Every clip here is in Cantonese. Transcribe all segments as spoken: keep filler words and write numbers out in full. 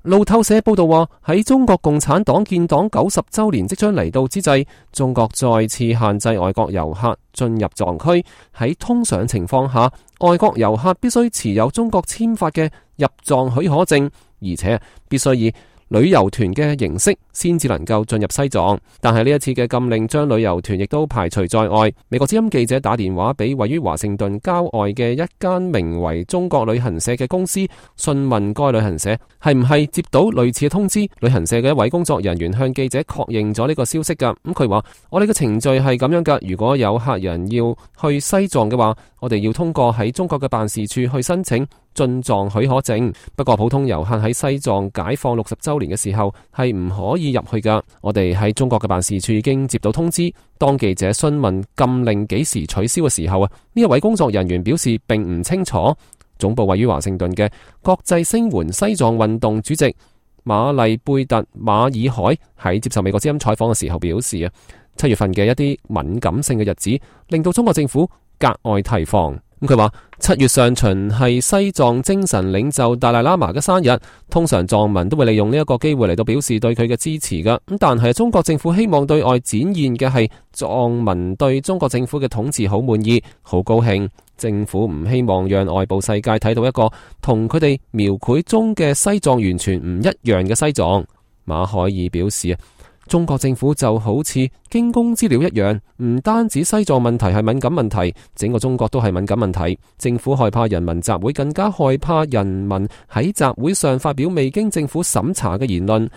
路透社報道話，喺中國共產黨建黨九十周年即將嚟到之際，中國再次限制外國遊客進入藏區。喺通常情況下，外國遊客必須持有中國簽發嘅入藏許可證，而且必須以旅遊團嘅形式先至能夠進入西藏。但係呢一次嘅禁令將旅遊團亦都排除在外。美國之音記者打電話俾位於華盛頓郊外嘅一間名為中國旅行社嘅公司，詢問該旅行社係唔係接到類似嘅通知。旅行社嘅一位工作人員向記者確認咗呢個消息噶。咁佢話：我哋嘅程序係咁樣噶，如果有客人要去西藏嘅話，我哋要通過喺中國嘅辦事處去申請進藏許可證。不過普通遊客喺西藏解放六十周年嘅時候係唔可以入去噶。我哋喺中國嘅辦事處已經接到通知。當記者詢問禁令幾時取消嘅時候啊，呢一位工作人員表示並唔清楚。總部位於華盛頓嘅國際聲援西藏運動主席馬麗貝特馬爾海喺接受美國之音採訪嘅時候表示啊，七月份嘅一啲敏感性嘅日子令到中國政府格外提防。咁佢話七月上旬係西藏精神領袖達賴喇嘛嘅生日，通常藏民都會利用呢一個機會嚟到表示對佢嘅支持噶。咁但係中國政府希望對外展現嘅係藏民對中國政府嘅統治好滿意、好高興。政府唔希望讓外部世界睇到一個同佢哋描繪中嘅西藏完全唔一樣嘅西藏。馬海爾表示啊，中國政府就好似驚弓之鳥一樣，唔單止西藏問題係敏感問題，整個中國都係敏感問題。政府害怕人民集會，更加害怕人民喺集會上發表未經政府審查嘅言論。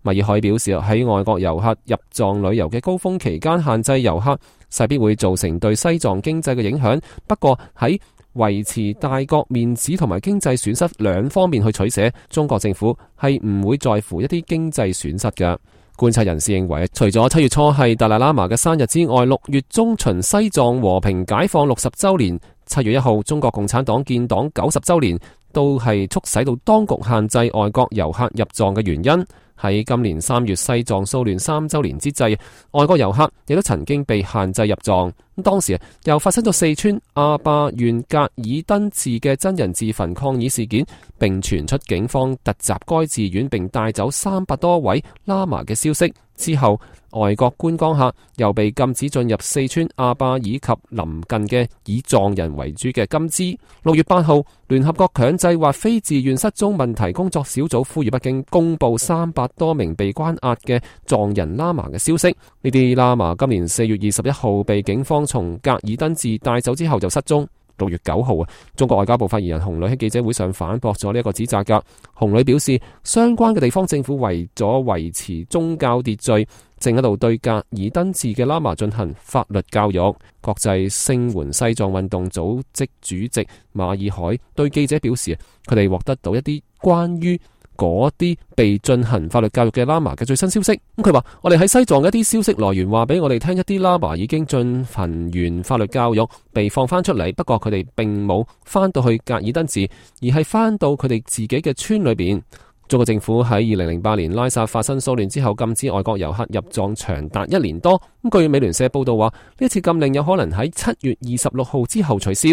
馬爾海表示喺外國遊客入藏旅遊嘅高峰期間限制遊客，勢必會造成對西藏經濟嘅影響。不過喺維持大國面子同埋經濟損失兩方面去取捨，中國政府係唔會在乎一啲經濟損失嘅。觀察人士認為，除咗七月初係達賴喇嘛嘅生日之外，六月中旬西藏和平解放六十周年，七月一號中國共產黨建黨九十周年，都係促使到當局限制外國遊客入藏嘅原因。喺今年三月西藏騷亂三周年之際，外國遊客亦都曾經被限制入藏。咁當時又發生咗四川阿壩縣格爾登寺嘅真人自焚抗議事件，並傳出警方突襲該寺院並帶走三百多位喇嘛嘅消息。之後，外國觀光客又被禁止進入四川阿壩以及鄰近嘅以藏人為主嘅金枝。六月八號，聯合國強制或非自願失蹤問題工作小組呼籲北京公布三百多名被關押嘅藏人喇嘛嘅消息。呢啲喇嘛今年四月二十一號被警方從格爾登寺帶走之後就失蹤。六月九號啊，中國外交部發言人洪磊喺記者會上反駁咗呢一個指責噶。洪磊表示，相關嘅地方政府為咗維持宗教秩序，正喺度對格爾登寺嘅喇嘛進行法律教育。國際聲援西藏運動組織主席馬爾海對記者表示，佢哋獲得到一啲關於嗰啲被進行法律教育嘅喇嘛嘅最新消息。咁佢話，我哋喺西藏嘅一啲消息來源話俾我哋聽，一啲喇嘛已經進行完法律教育，被放翻出嚟。不過佢哋並冇翻到去格爾登寺，而係翻到佢哋自己嘅村裏邊。中國政府喺二零零八年拉薩發生騷亂之後，禁止外國遊客入藏長達一年多。咁據美聯社報道話，呢一次禁令有可能喺七月二十六號之後取消。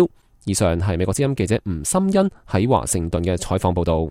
以上係美國之音記者吳心欣喺華盛頓嘅採訪報道。